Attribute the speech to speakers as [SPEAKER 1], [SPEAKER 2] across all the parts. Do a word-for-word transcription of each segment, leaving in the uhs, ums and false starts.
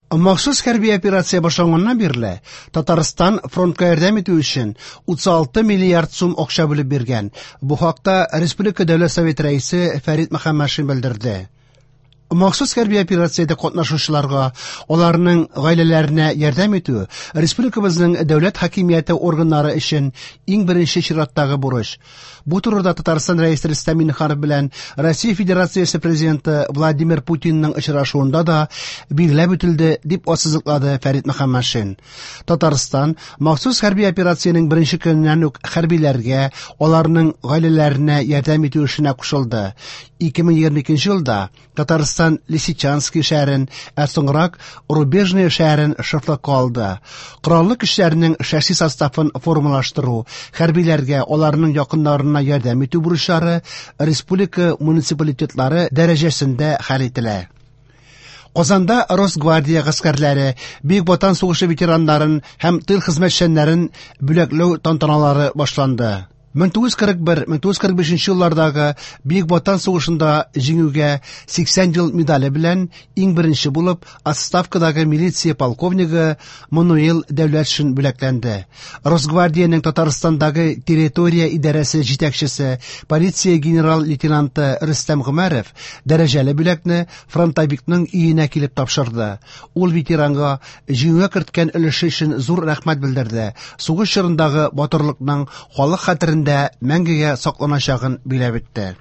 [SPEAKER 1] Махсус хәрби операция башланганнан бирле Татарстан фронтка ярдәм итү өчен утыз алты миллиард сум акча бүлеп биргән. Бу хакта Республика Дәүләт Советы рәисе Фәрит Мөхәммәтшин белдерде. Махсус хәрби операциядә катнашучыларга, аларның гаиләләренә ярдәм итү республикабызның дәүләт хакимияте органнары өчен иң беренче чираттагы бурыч. Бу турыда Татарстан рәисе Рөстәм Миңнеханов белән Россия Федерациясе президенты Владимир Путинның очрашуында да билгеләп үтелде, дип ассызыклады Фәрит Мөхәммәтшин. Татарстан махсус хәрби операциянең беренче көненнән үк хәрбиләргә, аларның гаиләләренә ярдәм итү эшенә кушылды. ике мең егерме икенче елда Татарстан Лисичанский шәһәрен, ә соңрак Рубежное шәһәрен шефлыкка алды. Кораллы көчләрнең шәхси составын формалаштыру, хәрбиләргә, аларның якыннарына ярдәм итү бурычлары республика муниципалитетлары дәрәҗәсендә хәл ителә. Казанда Росгвардия гаскәрләре, Бөек Ватан сугышы ветераннарын һәм тыл хезмәтчәннәрен бүләкләү тантаналары башланды. мең тугыз йөз кырык бер, мең тугыз йөз кырык бишенче еллардагы Бөек Ватан сугышында җиңүгә сиксән ел медале белән иң беренче булып отставкадагы милиция полковнигы Мануил Дәүләтшин бүләкләнде. Росгвардиянең Татарстандагы территория идарәсе җитәкчесе, полиция генерал-лейтенанты Рөстәм Гомәров дәрәҗәле бүләкне фронтовикның өенә килеп тапшырды. Ул ветеранга җиңүгә керткән өлеше өчен зур рәхмәт белдерде. Сугыш чорындагы батырлыкның халык хәтерендә мәңгегә сакланачагын биләп итте.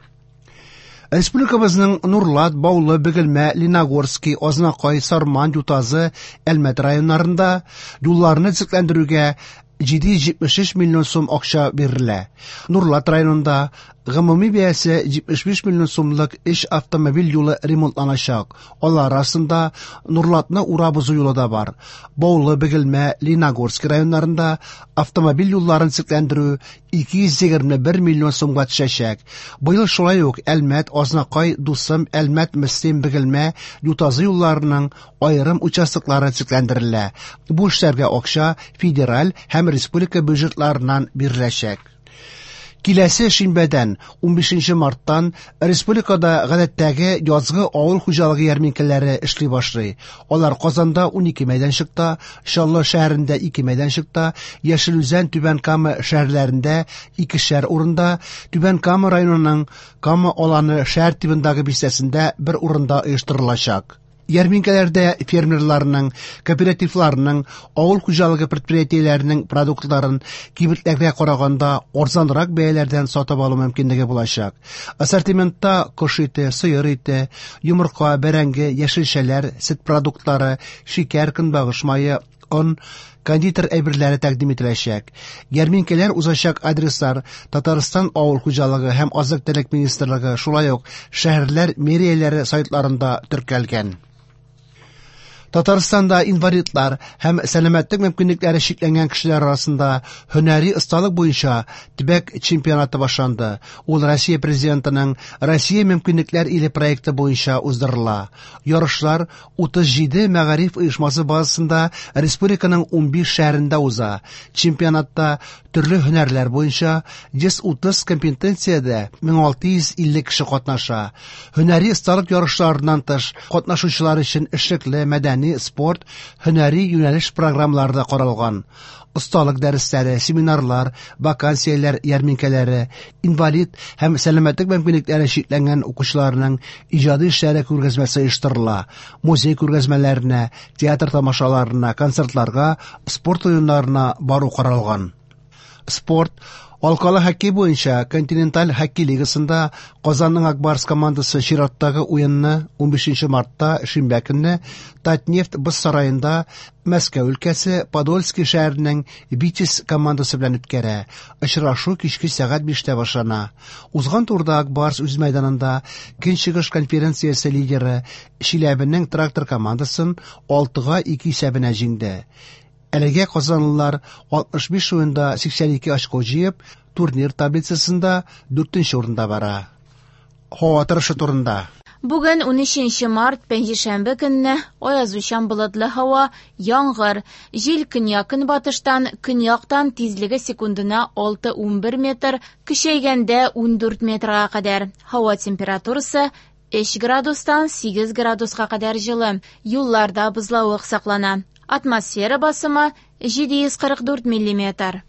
[SPEAKER 1] Республикабызның Нурлат, Баулы, Бөгелмә, Леногорский, Азнакай, Сарман, Ютазы, Әлмәт районнарында юлларны төзекләндерүгә җиде йөз җитмеш өч миллион сум акча бирелә. Нурлат районында гомуми бәясе җитмеш биш миллион сумлык өч автомобиль юлы ремонтланачак. Алар арасында Нурлатны урап узу юлы да бар. Баулы, Бөгелмә, Леногорский районнарында автомобиль юлларын төзекләндерү ике йөз егерме бер миллион сумга төшәчәк. Быел шулай ук Әлмәт, Азнакай, Дусым, Әлмәт, Мөслим, Бөгелмә, Ютазы юлларының аерым участоклары төзекләндерелә. Бу эшләргә акча федераль һәм республика бюджетларыннан биреләчәк. Киләсе шимбәдән, унбишенче марттан, республикада гадәттәге язгы авыл хуҗалыгы ярминкәләре эшли башлый. Алар Казанда унике мәйданчыкта, Чаллы шәһәрендә ике мәйданчыкта, Яшел Үзән, Түбән Кама шәһәрләрендә икешәр урында, Түбән Кама районының Кама аланы шәһәр тибындагы бистәсендә бер урында оештырылачак. Ярминкәләрдә фермерларның, кооперативларның, авыл хуҗалыгы предприятиеләренең продуктларын кибетләргә караганда арзанрак бәяләрдән сатып алу мөмкинлеге булачак. Ассортиментта кош ите, сыер ите, йомырка, бәрәңге, яшелчәләр, сөт продуктлары, шикәр, көнбагыш мае, он, кондитер әйберләре тәкъдим ителәчәк. Ярминкәләр узачак адреслар Татарстан авыл хуҗалыгы һәм азык-төлек министрлыгы, шулай ук шәһәрләр мэрияләре сайтларында теркәлгән. Татарстанда инвалидлар һәм сәламәтлек мөмкинлекләре чикләнгән кешеләр арасында һөнәри осталык буенча төбәк чемпионаты башланды. Ул Россия президентының Россия мөмкинлекләр иле проекты буенча уздырыла. Ярышлар утыз җиде мәгариф оешмасы базасында республиканың унбиш шәһәрендә уза. Чемпионатта төрле һөнәрләр буенча йөз утыз компетенциядә мең алты йөз илле кеше катнаша. Һөнәри осталык ярышларыннан тыш катнашучылар өчен эшлекле, мәдәни, спорт, һөнәри юнәлеш программалары да каралган. Осталык дәресләре, семинарлар, вакансияләр ярминкәләре, инвалид һәм сәламәтлек мөмкинлекләре чикләнгән укучыларның иҗади эшләре күргәзмәсе оештырыла. Музей күргәзмәләренә, театр тамашаларына, концертларга, спорт уеннарына бару каралган. Спорт алкалы хоккей буенча континенталь хоккей лигасында Казанның Акбарс командасы чираттагы уенны унбишенче мартта шимбә көнне Татнефть боз сараенда Мәскәү өлкәсе Подольский шәһәренең Витязь командасы белән үткәрә. Очрашу кичке сәгать биштә башлана. Узган турда Акбарс үз мәйданында Көнчыгыш конференциясе лидеры Чиләбенең Трактор командасын алтыга ике исәбенә җиңде. Әлегә казанлылар алтмыш биш уенда сиксән ике очко җыеп, турнир таблицасында дүртенче урында бара. Һава торышы турында.
[SPEAKER 2] Бүген унөченче март, пәнҗешәмбе көнне аязучан болытлы һава, яңгыр, җил көньяк-көнбатыштан, көньяктан тизлеге секундына алты-унбер метр, көчәйгәндә ундүрт метрга кадәр. Һава температурасы Өч градустан сигез градуска кадәр җылы. Юлларда бозлавык саклана. Атмосфера басымы – җиде йөз кырык дүрт миллиметр.